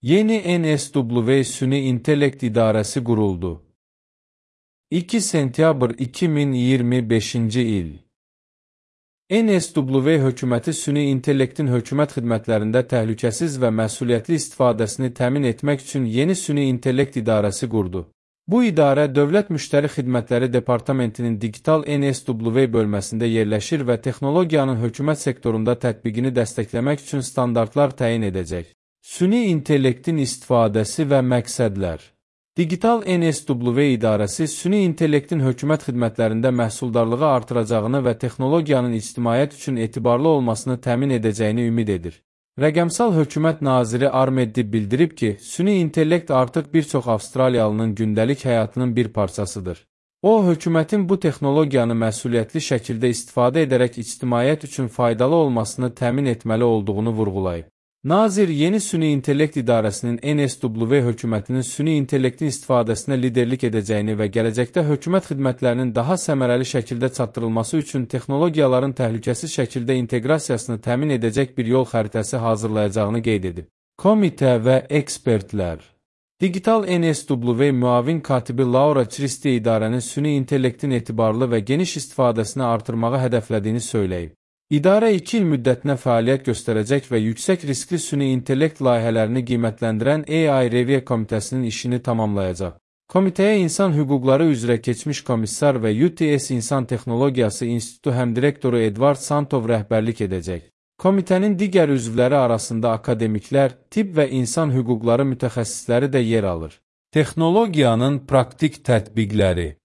Yeni NSW Süni İntellekt İdarəsi quruldu. 2 sentyabr 2025-ci il. NSW hökuməti süni intellektin hökumət xidmətlərində təhlükəsiz və məsuliyyətli istifadəsini təmin etmək üçün yeni süni intellekt idarəsi qurdu. Bu idarə Dövlət Müştəri Xidmətləri Departamentinin Digital NSW bölməsində yerləşir və texnologiyanın hökumət sektorunda tətbiqini dəstəkləmək üçün standartlar təyin edəcək. Süni intellektin istifadəsi və məqsədlər. Digital NSW idarəsi süni intellektin hökumət xidmətlərində məhsuldarlığı artıracağını və texnologiyanın ictimaiyyət üçün etibarlı olmasını təmin edəcəyini ümid edir. Rəqəmsal hökumət naziri Ahmed bildirib ki, süni intellekt artıq bir çox Avstraliyalının gündəlik həyatının bir parçasıdır. O, hökumətin bu texnologiyanı məsuliyyətli şəkildə istifadə edərək ictimaiyyət üçün faydalı olmasını təmin etməli olduğunu vurğulayıb. Nazir yeni süni intellekt idarəsinin NSW hökumətinin süni intellektin istifadəsinə liderlik edəcəyini və gələcəkdə hökumət xidmətlərinin daha səmərəli şəkildə çatdırılması üçün texnologiyaların təhlükəsiz şəkildə inteqrasiyasını təmin edəcək bir yol xəritəsi hazırlayacağını qeyd edib. Komitə və ekspertlər. Digital NSW müavin katibi Laura Christie idarənin süni intellektin etibarlı və geniş istifadəsini artırmağı hədəflədiyini söyləyib. İdarə 2 il müddətinə fəaliyyət göstərəcək və yüksək riskli süni intellekt layihələrini qiymətləndirən AI Review komitəsinin işini tamamlayacaq. Komitəyə İnsan Hüquqları üzrə keçmiş komissar və UTS İnsan Texnologiyası İnstitutu həmdirektoru Edward Santov rəhbərlik edəcək. Komitənin digər üzvləri arasında akademiklər, tibb və insan hüquqları mütəxəssisləri də yer alır. Texnologiyanın praktik tətbiqləri.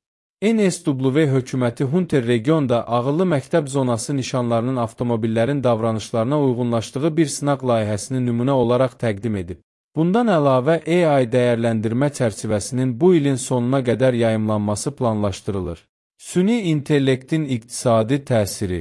NSW hökuməti Hunter regionda ağıllı məktəb zonası nişanlarının avtomobillərin davranışlarına uyğunlaşdığı bir sınaq layihəsini nümunə olaraq təqdim edib. Bundan əlavə AI dəyərləndirmə çərçivəsinin bu ilin sonuna qədər yayımlanması planlaşdırılır. Süni intellektin iqtisadi təsiri.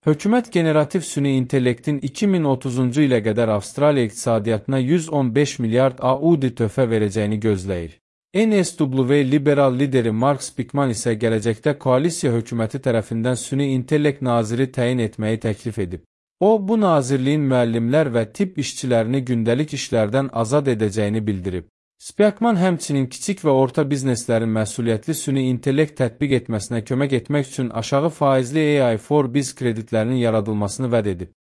Hökumət generativ süni intellektin 2030-cu ilə qədər Avstraliya iqtisadiyyatına 115 milyard AUD töhfə verəcəyini gözləyir. NSW liberal lideri Mark Speakman isə gələcəkdə koalisiya hökuməti tərəfindən süni intellekt naziri təyin etməyi təklif edib. O, bu nazirliyin müəllimlər və tibb işçilərini gündəlik işlərdən azad edəcəyini bildirib. Speakman həmçinin kiçik və orta bizneslərin məsuliyyətli süni intellekt tətbiq etməsinə kömək etmək üçün aşağı faizli AI for Biz kreditlərinin yaradılmasını vəd edib.